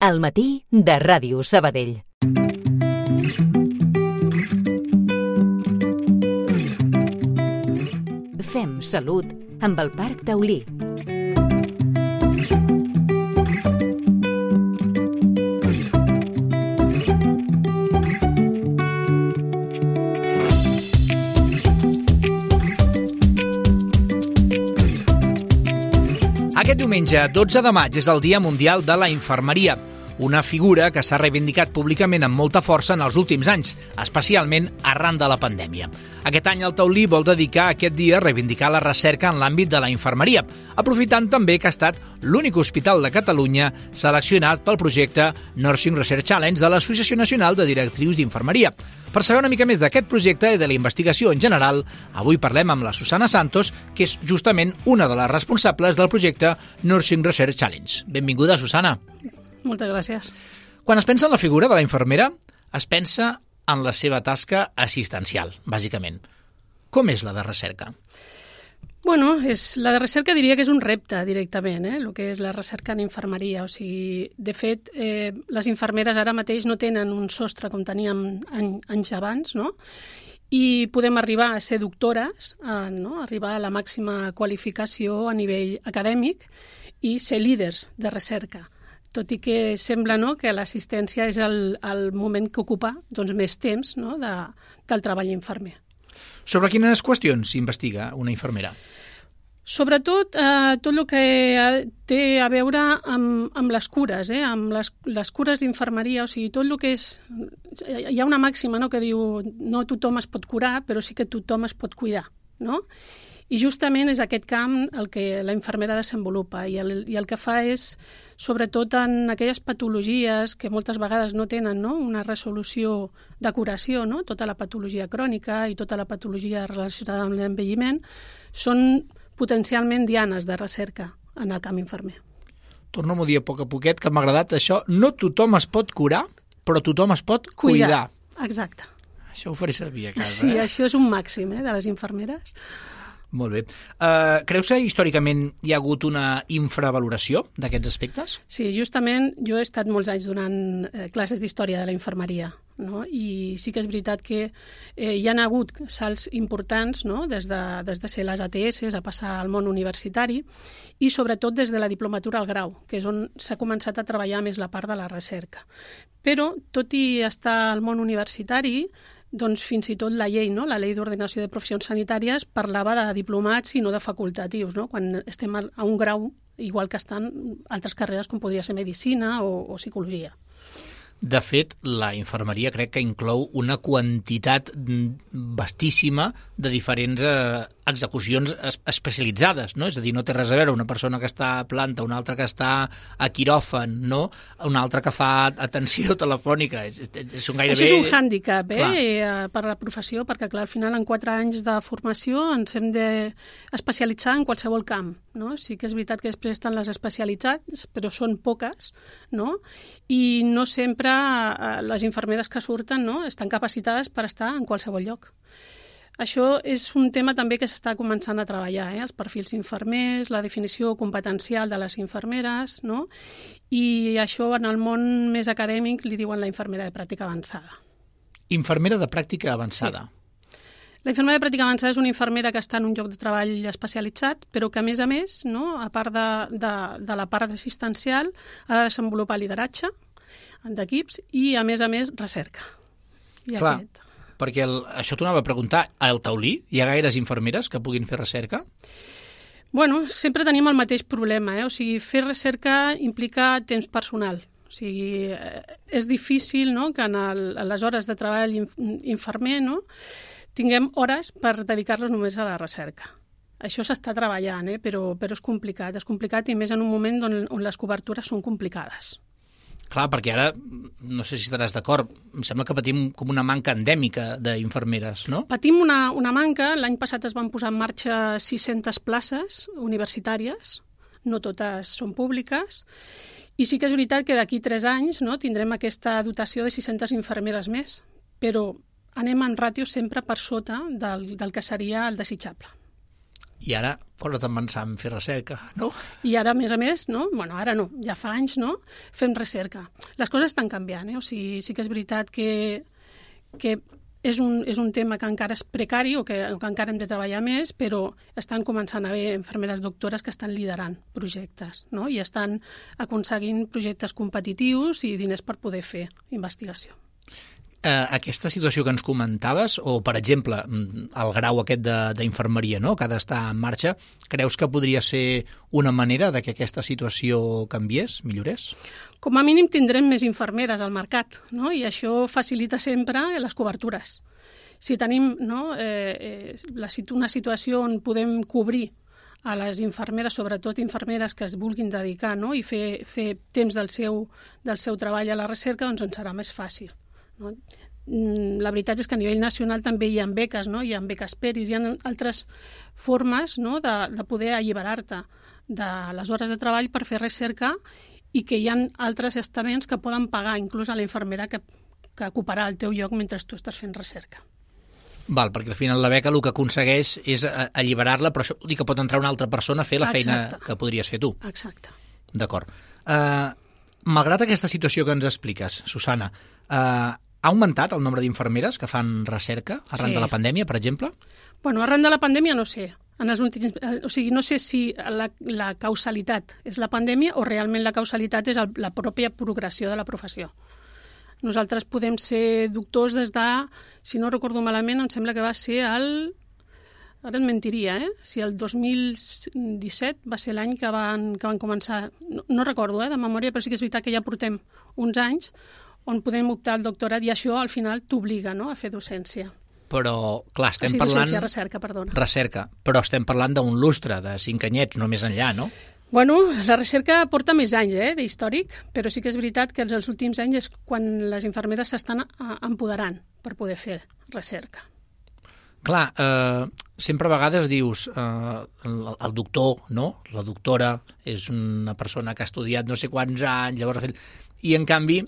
Al matí de Ràdio Sabadell. Fem salut amb el Parc Taulí. Aquest diumenge, 12 de maig, és el Dia Mundial de la Infermeria, una figura que s'ha reivindicat públicament amb molta força en els últims anys, especialment arran de la pandèmia. Aquest any el Taulí vol dedicar aquest dia a reivindicar la recerca en l'àmbit de la infermeria, aprofitant també que ha estat l'únic hospital de Catalunya seleccionat pel projecte Nursing Research Challenge de l'Associació Nacional de Directrius d'Infermeria. Per saber una mica més d'aquest projecte i de la investigació en general, avui parlem amb la Susana Santos, que és justament una de les responsables del projecte Nursing Research Challenge. Benvinguda, Susana. Moltes gràcies. Quan es pensa en la figura de la infermera, es pensa en la seva tasca assistencial, bàsicament. Com és la de recerca? Bueno, la de recerca diria que és un repte directament, el que és la recerca en infermeria. O sigui, de fet, les infermeres ara mateix no tenen un sostre com teníem anys abans, no? I podem arribar a ser doctores, arribar a la màxima qualificació a nivell acadèmic i ser líders de recerca. Tot i que sembla que l'assistència és el moment que ocupa més temps del treball infermer. Sobre quines qüestions s'investiga una infermera? Sobretot tot el que té a veure amb les cures, amb les cures d'infermeria, o sigui, tot el que és... Hi ha una màxima que diu no tothom es pot curar, però sí que tothom es pot cuidar, no? I justament és aquest camp el que la infermera desenvolupa i el que fa és, sobretot en aquelles patologies que moltes vegades no tenen una resolució de curació, tota la patologia crònica i tota la patologia relacionada amb l'envelliment, són potencialment dianes de recerca en el camp infermer. Torno-m'ho a dir a poc a poquet, que m'ha agradat això. No tothom es pot curar, però tothom es pot cuidar. Exacte. Això ho faré servir a casa. Sí, això és un màxim de les infermeres. Molt bé. Creus que històricament hi ha hagut una infravaloració d'aquests aspectes? Sí, justament jo he estat molts anys donant classes d'història de la infermeria, i sí que és veritat que hi ha hagut salts importants, des de ser les ATS a passar al món universitari i sobretot des de la diplomatura al grau, que és on s'ha començat a treballar més la part de la recerca. Però, tot i estar al món universitari, fins i tot la llei, la llei d'ordenació de professions sanitàries, parlava de diplomats i no de facultatius, quan estem a un grau, igual que estan altres carreres com podria ser medicina o psicologia. De fet, la infermeria crec que inclou una quantitat vastíssima de diferents execucions especialitzades, no? És a dir, no té res a veure una persona que està a planta, una altra que està a quiròfan, una altra que fa atenció telefònica. Són gairebé... Això és un hàndicap per a la professió, perquè clar, al final en 4 anys de formació ens hem d'especialitzar en qualsevol camp. Sí que és veritat que després estan les especialitats, però són poques, i no sempre les infermeres que surten estan capacitades per estar en qualsevol lloc. Això és un tema també que s'està començant a treballar, els perfils infermers, la definició competencial de les infermeres, i això en el món més acadèmic li diuen la infermera de pràctica avançada. Infermera de pràctica avançada. Sí. La infermera de pràctica avançada és una infermera que està en un lloc de treball especialitzat, però que a més, a part de la part assistencial, ha de desenvolupar lideratge d'equips i, a més, recerca. Clar, perquè això t'ho anava a preguntar, al Taulí hi ha gaires infermeres que puguin fer recerca? Bueno, sempre tenim el mateix problema, o sigui, fer recerca implica temps personal. O sigui, és difícil que en les hores de treball infermer tinguem hores per dedicar-los només a la recerca. Això s'està treballant, però és complicat i més en un moment on les cobertures són complicades. Clar, perquè ara, no sé si estaràs d'acord, em sembla que patim com una manca endèmica d'infermeres, no? Patim una manca. L'any passat es van posar en marxa 600 places universitàries, no totes són públiques, i sí que és veritat que d'aquí 3 anys tindrem aquesta dotació de 600 infermeres més, però anem en ràtio sempre per sota del que seria el desitjable. I ara posa't a pensar en fer recerca, no? I ara, a més, no? Bueno, ara no, ja fa anys, no? Fem recerca. Les coses estan canviant, O sigui, sí que és veritat que és un tema que encara és precari o que encara hem de treballar més, però estan començant a haver infermeres doctores que estan liderant projectes, no? I estan aconseguint projectes competitius i diners per poder fer investigació. Aquesta situació que ens comentaves, o per exemple el grau aquest d'infermeria, no?, que ha d'estar en marxa, creus que podria ser una manera de que aquesta situació canviés, millorés? Com a mínim tindrem més infermeres al mercat, no? I això facilita sempre les cobertures. Si tenim una situació on podem cobrir a les infermeres, sobretot infermeres que es vulguin dedicar, no?, i fer temps del seu treball a la recerca, doncs ens serà més fàcil. No? La veritat és que a nivell nacional també hi ha beques, no? Hi ha beques PERIS, hi ha altres formes, no?, de poder alliberar-te de les hores de treball per fer recerca i que hi ha altres estaments que poden pagar inclús a la infermera que ocuparà el teu lloc mentre tu estàs fent recerca. Val, perquè al final la beca el que aconsegueix és alliberar-la, però això vol dir que pot entrar una altra persona a fer la feina que podries fer tu. Exacte. D'acord. Malgrat aquesta situació que ens expliques, Susana, ha augmentat el nombre d'infermeres que fan recerca arran de la pandèmia, per exemple? Bueno, arran de la pandèmia no sé. No sé si la causalitat és la pandèmia o realment la causalitat és la pròpia progressió de la professió. Nosaltres podem ser doctors des de, si no recordo malament, em sembla que va ser ara et mentiria, si el 2017 va ser l'any que van començar, no recordo de memòria, però sí que és veritat que ja portem uns anys on podem optar al doctorat i això al final t'obliga, no?, a fer docència. Però, clar, estem parlant... Docència, recerca, perdona. Recerca, però estem parlant d'un lustre, de 5 anyets, no més enllà, no? Bueno, la recerca porta més anys, d'històric, però sí que és veritat que els últims anys és quan les infermeres s'estan empoderant per poder fer recerca. Clar, sempre a vegades dius el doctor, no?, la doctora és una persona que ha estudiat no sé quants anys, llavors... I, en canvi,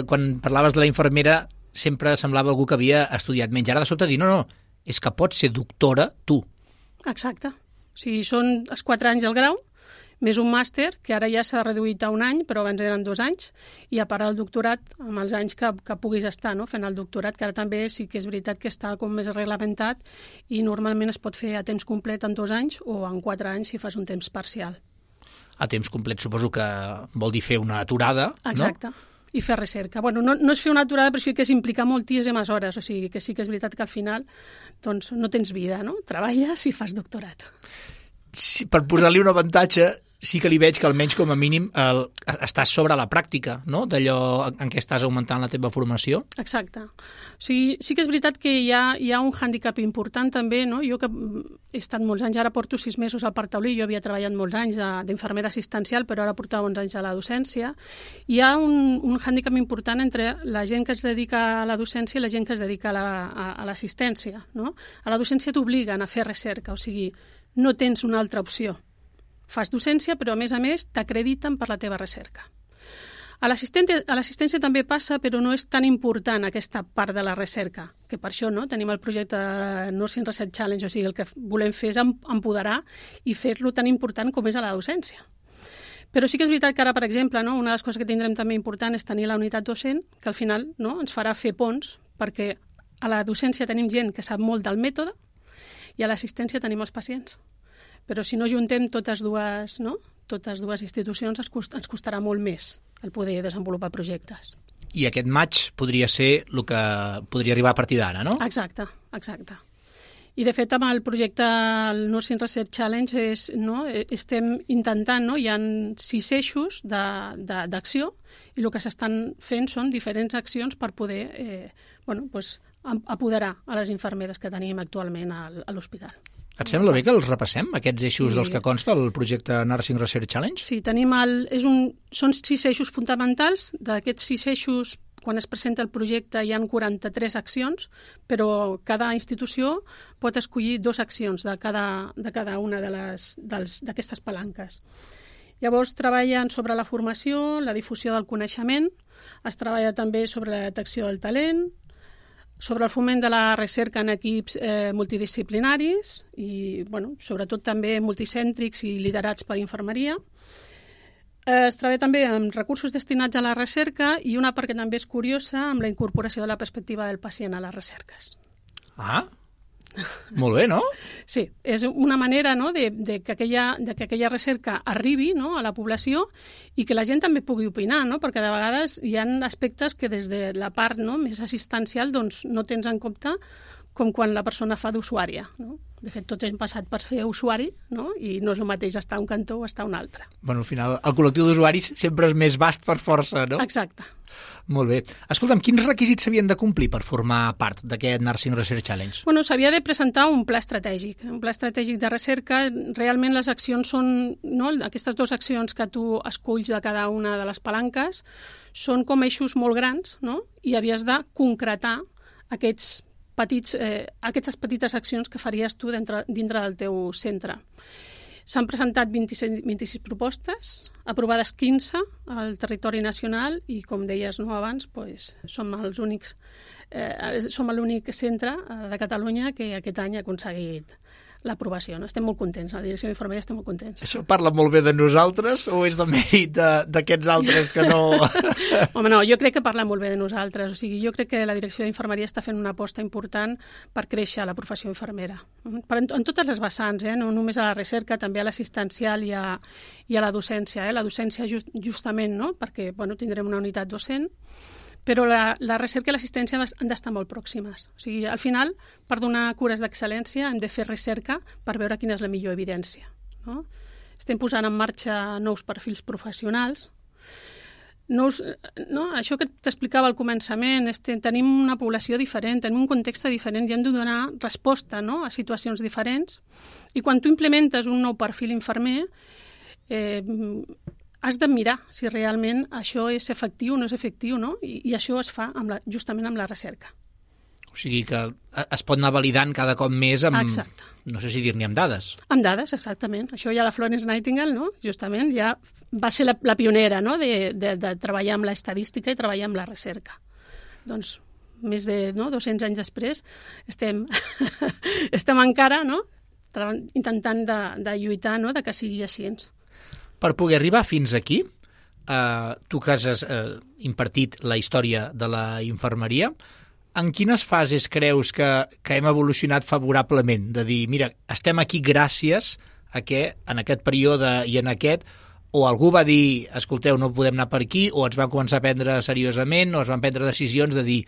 quan parlaves de la infermera, sempre semblava algú que havia estudiat menys. Ara de sobte dir, no, és que pots ser doctora tu. Exacte. O sigui, són els 4 anys al grau, més un màster, que ara ja s'ha reduït a 1 any, però abans eren 2 anys, i a part el doctorat, amb els anys que puguis estar, no?, fent el doctorat, que ara també sí que és veritat que està com més reglamentat i normalment es pot fer a temps complet en 2 anys o en 4 anys si fas un temps parcial. A temps complet suposo que vol dir fer una aturada, Exacte. No? I fer recerca. Bueno, no és fer una aturada, però sí que és implicar moltíssimes hores, o sigui que sí que és veritat que al final doncs, no tens vida, no? Treballes i fas doctorat. Sí, per posar-li un avantatge, sí que li veig que almenys com a mínim estàs sobre la pràctica, no?, d'allò en què estàs augmentant la teva formació. Exacte. O sigui, sí que és veritat que hi ha un hàndicap important també, no? Jo que he estat molts anys, ara porto 6 mesos al Parc Taulí, jo havia treballat molts anys d'infermera assistencial, però ara portava uns anys a la docència. Hi ha un hàndicap important entre la gent que es dedica a la docència i la gent que es dedica a l'assistència, no? A la docència t'obliguen a fer recerca, o sigui, no tens una altra opció. Fas docència, però a més t'acrediten per la teva recerca. A l'assistència també passa, però no és tan important aquesta part de la recerca, que per això no tenim el projecte Nursing Research Challenge, o sigui, el que volem fer és empoderar i fer-lo tan important com és a la docència. Però sí que és veritat que ara, per exemple, no, una de les coses que tindrem també important és tenir la unitat docent, que al final no, ens farà fer ponts, perquè a la docència tenim gent que sap molt del mètode i a l'assistència tenim els pacients. Però si no juntem totes dues institucions ens costarà molt més el poder desenvolupar projectes. I aquest maig podria ser el que podria arribar a partir d'ara, no? Exacte. I de fet amb el projecte el Nursing Research Challenge estem intentant, no? Hi ha 6 eixos d'acció i el que s'estan fent són diferents accions per poder apoderar a les infermeres que tenim actualment a l'hospital. Et sembla bé que els repassem, aquests eixos dels que consta el projecte Nursing Research Challenge? Sí, són 6 eixos fonamentals. D'aquests 6 eixos, quan es presenta el projecte, hi ha 43 accions, però cada institució pot escollir 2 accions de cada una d'aquestes palanques. Llavors treballen sobre la formació, la difusió del coneixement, es treballa també sobre la detecció del talent, sobre el foment de la recerca en equips multidisciplinaris i, sobretot també multicèntrics i liderats per infermeria. Es treballa també amb recursos destinats a la recerca i una part que també és curiosa amb la incorporació de la perspectiva del pacient a les recerques. Ah, molt bé, no? Sí, és una manera de que aquella recerca arribi a la població i que la gent també pugui opinar, perquè de vegades hi ha aspectes que des de la part més assistencial no tens en compte, com quan la persona fa d'usuària. De fet, tots hem passat per ser usuari, i no és el mateix estar a un cantó o estar a un altre. Al final, el col·lectiu d'usuaris sempre és més vast per força, no? Exacte. Molt bé. Escolta'm, quins requisits s'havien de complir per formar part d'aquest Nursing Research Challenge? S'havia de presentar un pla estratègic de recerca. Realment les accions són, aquestes dues accions que tu esculls de cada una de les palanques, són com eixos molt grans, i havies de concretar aquestes petites accions que faries tu dintre del teu centre. S'han presentat 26 propostes, aprovades 15 al territori nacional i, com deies abans, som l'únic centre de Catalunya que aquest any ha aconseguit l'aprovació. Estem molt contents, la direcció d'infermeria estem molt contents. Això parla molt bé de nosaltres o és de mèrit d'aquests altres que no... Home, no, jo crec que parla molt bé de nosaltres. O sigui, jo crec que la direcció d'infermeria està fent una aposta important per créixer la professió infermera. En totes les vessants, no només a la recerca, també a l'assistencial i a la docència. La docència justament, perquè tindrem una unitat docent, però la recerca i l'assistència han d'estar molt pròximes. O sigui, al final, per donar cures d'excel·lència, hem de fer recerca per veure quina és la millor evidència. Estem posant en marxa nous perfils professionals. Això que t'explicava al començament, tenim una població diferent, tenim un context diferent i hem de donar resposta a situacions diferents. I quan tu implementes un nou perfil infermer, has de mirar si realment això és efectiu o no és efectiu, I això es fa justament amb la recerca. O sigui que es pot anar validant cada cop més amb... Exacte. No sé si dir-n'hi amb dades. Amb dades, exactament. Això ja la Florence Nightingale, justament, ja va ser la pionera, de treballar amb l'estadística i treballar amb la recerca. Doncs més de 200 anys després estem encara intentant de lluitar de que sigui així. Per poder arribar fins aquí, tu que has impartit la història de la infermeria, en quines fases creus que hem evolucionat favorablement? De dir, mira, estem aquí gràcies a que en aquest període i en aquest, o algú va dir, escolteu, no podem anar per aquí, o ens van començar a prendre seriosament, o es van prendre decisions de dir,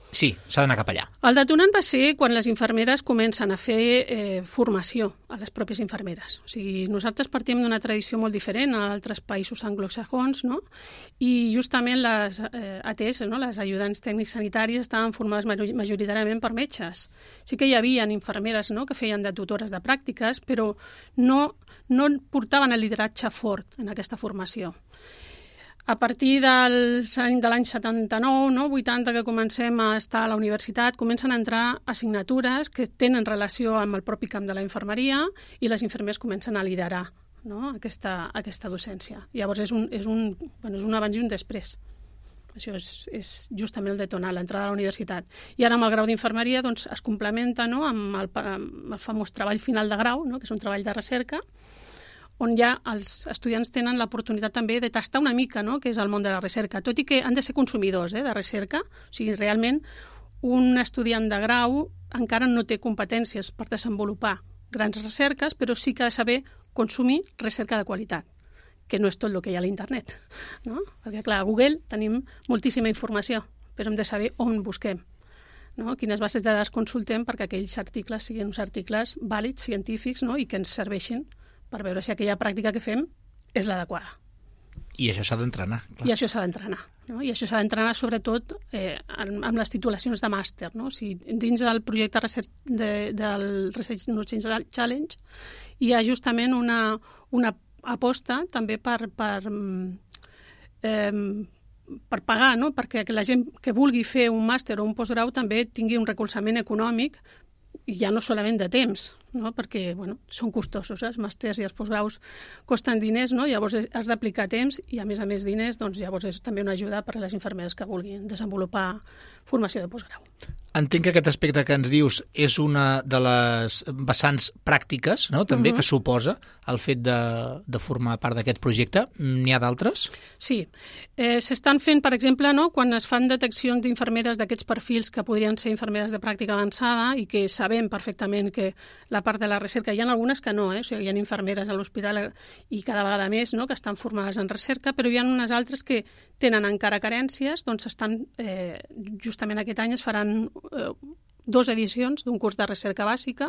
sí, s'ha d'anar cap allà. El detonant va ser quan les infermeres comencen a fer formació a les pròpies infermeres. O sigui, nosaltres partim d'una tradició molt diferent a altres països anglosaxons, i justament les ATs, les ajudants tècnics sanitaris, estaven formades majoritàriament per metges. Sí que hi havia infermeres que feien de tutores de pràctiques, però no portaven el lideratge fort en aquesta formació. A partir de l'any 79, 80, que comencem a estar a la universitat, comencen a entrar assignatures que tenen relació amb el propi camp de la infermeria i les infermeres comencen a liderar aquesta docència. Llavors és un abans i un després. Això és justament el detonant, l'entrada a la universitat. I ara amb el grau d'infermeria es complementa amb el famós treball final de grau, que és un treball de recerca, on ja els estudiants tenen l'oportunitat també de tastar una mica què és el món de la recerca, tot i que han de ser consumidors de recerca. O sigui, realment, un estudiant de grau encara no té competències per desenvolupar grans recerques, però sí que ha de saber consumir recerca de qualitat, que no és tot el que hi ha a l'internet. Perquè, clar, a Google tenim moltíssima informació, però hem de saber on busquem. Quines bases de dades consultem perquè aquells articles siguin uns articles vàlids, científics, i que ens serveixin per veure si aquella pràctica que fem és l'adequada. I això s'ha d'entrenar. I això s'ha d'entrenar. I això s'ha d'entrenar sobretot amb les titulacions de màster. O sigui, dins del projecte del Research Nursing Challenge hi ha justament una aposta també per pagar, perquè la gent que vulgui fer un màster o un postgrau també tingui un recolzament econòmic i ja no solament de temps, no? Perquè són costosos, els màsters i els postgraus costen diners, no? Llavors has d'aplicar temps i a més diners, doncs llavors és també una ajuda per a les infermeres que vulguin desenvolupar formació de postgrau. Entenc que aquest aspecte que ens dius és una de les vessants pràctiques, no? També que suposa el fet de formar part d'aquest projecte. N'hi ha d'altres? Sí. S'estan fent, per exemple, no? Quan es fan deteccions d'infermeres d'aquests perfils que podrien ser infermeres de pràctica avançada i que sabem perfectament que la part de la recerca, hi ha algunes que no, o sigui, hi ha infermeres a l'hospital i cada vegada més, no? Que estan formades en recerca, però hi ha unes altres que tenen encara carències, doncs justament aquest any es faran 2 edicions d'un curs de recerca bàsica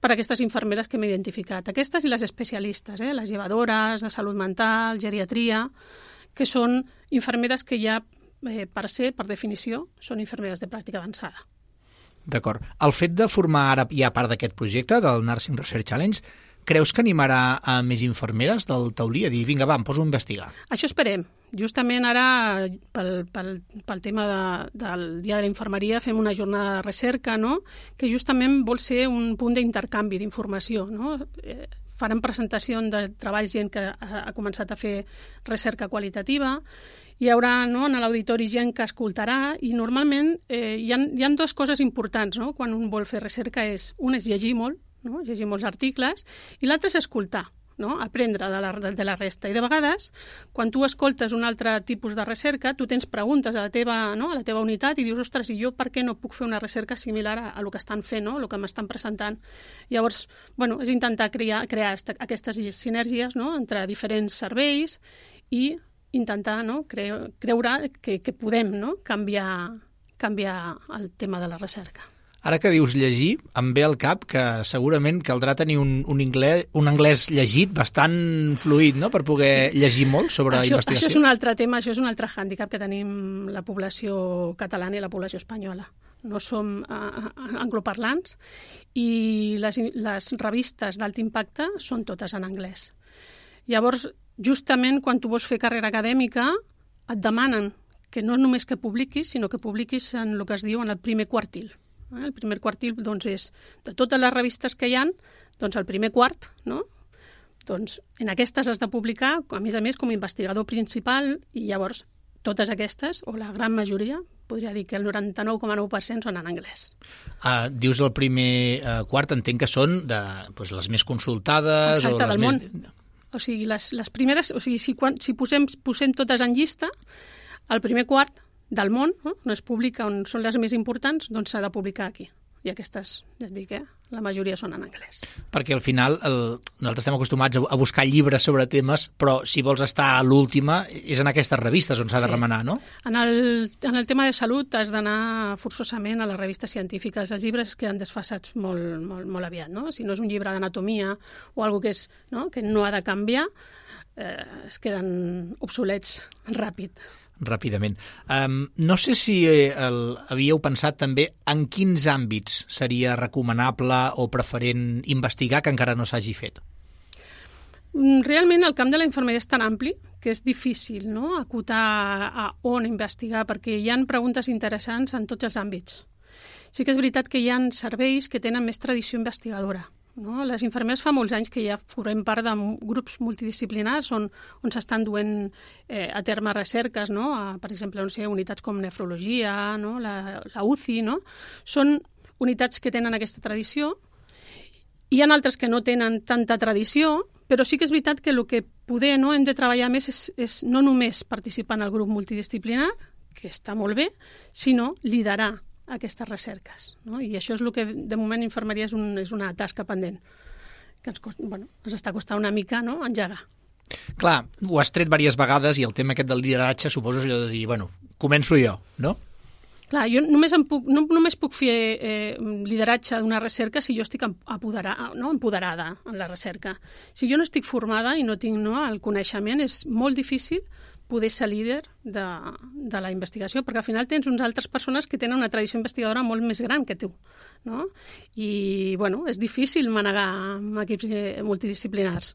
per a aquestes infermeres que hem identificat. Aquestes i les especialistes, les llevadores, de salut mental, geriatria, que són infermeres que ja, per definició, són infermeres de pràctica avançada. D'acord. El fet de formar ara ja part d'aquest projecte, del Nursing Research Challenge, creus que animarà a més infermeres del Taulí a dir, vinga, va, em poso a investigar? Això esperem. Justament ara, pel tema del Dia de la Infermeria, fem una jornada de recerca, no? Que justament vol ser un punt d'intercanvi d'informació, no? Farem presentació de treballs gent que ha començat a fer recerca qualitativa, hi haurà en l'auditori gent que escoltarà i normalment hi ha 2 coses importants, no? Quan un vol fer recerca un és llegir molt, no? Llegir molts articles, i l'altre és escoltar, no? Aprendre de la resta. I de vegades, quan tu escoltes un altre tipus de recerca, tu tens preguntes a la teva unitat i dius, ostres, i jo per què no puc fer una recerca similar a el que estan fent, no? El que m'estan presentant. Llavors, és intentar crear aquestes sinergies, no? Entre diferents serveis i intentar creure que podem, no? canviar el tema de la recerca. Ara que dius llegir, em ve al cap que segurament caldrà tenir un anglès llegit bastant fluid, no?, per poder llegir molt sobre investigació. Això és un altre tema, això és un altre hàndicap que tenim la població catalana i la població espanyola. No som angloparlants i les revistes d'alt impacte són totes en anglès. Llavors, justament quan tu vols fer carrera acadèmica, et demanen que no només que publiquis, sinó que publiquis en el que es diu en el primer quartil. El primer quartil, doncs, és de totes les revistes que hi ha, doncs el primer quart, no? Doncs en aquestes has de publicar, a més, com a investigador principal, i llavors totes aquestes, o la gran majoria, podria dir que el 99,9% són en anglès. Dius el primer quart, entenc que són les més consultades. Exacte, o les del món. O sigui, les primeres, o sigui, si posem totes en llista, el primer quart del món, on es publica, on són les més importants, doncs s'ha de publicar aquí. I aquestes, ja et dic, la majoria són en anglès. Perquè al final nosaltres estem acostumats a buscar llibres sobre temes, però si vols estar a l'última és en aquestes revistes on s'ha de remenar, no? En el tema de salut has d'anar forçosament a les revistes científiques. Els llibres queden desfasats molt aviat, no? Si no és un llibre d'anatomia o alguna cosa que no ha de canviar, es queden obsolets ràpidament. No sé si havíeu pensat també en quins àmbits seria recomanable o preferent investigar que encara no s'hagi fet. Realment el camp de la infermeria és tan ampli que és difícil, no?, acotar a on investigar, perquè hi ha preguntes interessants en tots els àmbits. Sí que és veritat que hi ha serveis que tenen més tradició investigadora. No? Les infermeres fa molts anys que ja formem part de grups multidisciplinars on s'estan duent a terme recerques, no? Per exemple, unitats com nefrologia, no? la UCI, no? Són unitats que tenen aquesta tradició. Hi ha altres que no tenen tanta tradició, però sí que és veritat que el que poder hem de treballar més és no només participar en el grup multidisciplinar, que està molt bé, sinó liderar aquestes recerques, no? I això és el que de moment infermeria és una tasca pendent que ens està costant una mica, no?, engegar. Clar, ho has tret diverses vegades i el tema aquest del lideratge suposo és allò de dir, començo jo, no? Clar, jo només puc fer lideratge d'una recerca si jo estic empoderada en la recerca. Si jo no estic formada i no tinc el coneixement, és molt difícil poder ser líder de la investigació, perquè al final tens unes altres persones que tenen una tradició investigadora molt més gran que tu, no? I, és difícil manegar amb equips multidisciplinars,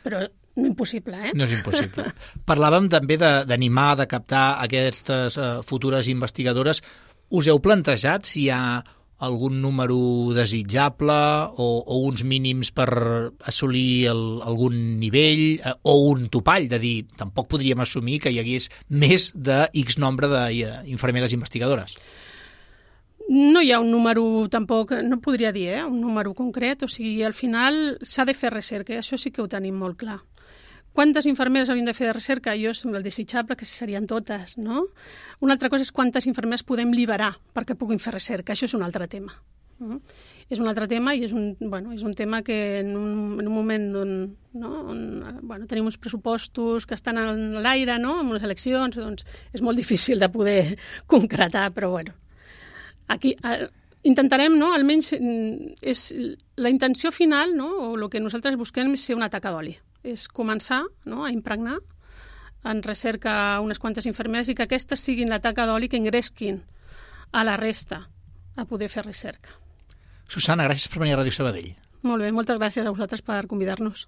però no impossible, No és impossible. Parlàvem també d'animar, de captar aquestes futures investigadores. Us heu plantejat si hi ha algun número desitjable o uns mínims per assolir algun nivell o un topall, de dir, tampoc podríem assumir que hi hagués més de X nombre d'infermeres investigadores? No hi ha un número, tampoc, no podria dir, un número concret, o sigui, al final s'ha de fer recerca, i això sí que ho tenim molt clar. Quantes infermeres haurien de fer de recerca? Jo sembla el desitjable que serien totes, no? Una altra cosa és quantes infermeres podem liberar perquè puguin fer recerca, això és un altre tema. És un altre tema i és un tema que en un moment on tenim uns pressupostos que estan a l'aire, no? Amb les eleccions, doncs és molt difícil de poder concretar, però bueno. Aquí intentarem, no? Almenys és la intenció final, no? O el que nosaltres busquem és ser una taca d'oli. És començar, no? A impregnar en recerca unes quantes infermeres i que aquestes siguin la taca d'oli que engresquin a la resta a poder fer recerca. Susana, gràcies per venir a Ràdio Sabadell. Molt bé, moltes gràcies a vosaltres per convidar-nos.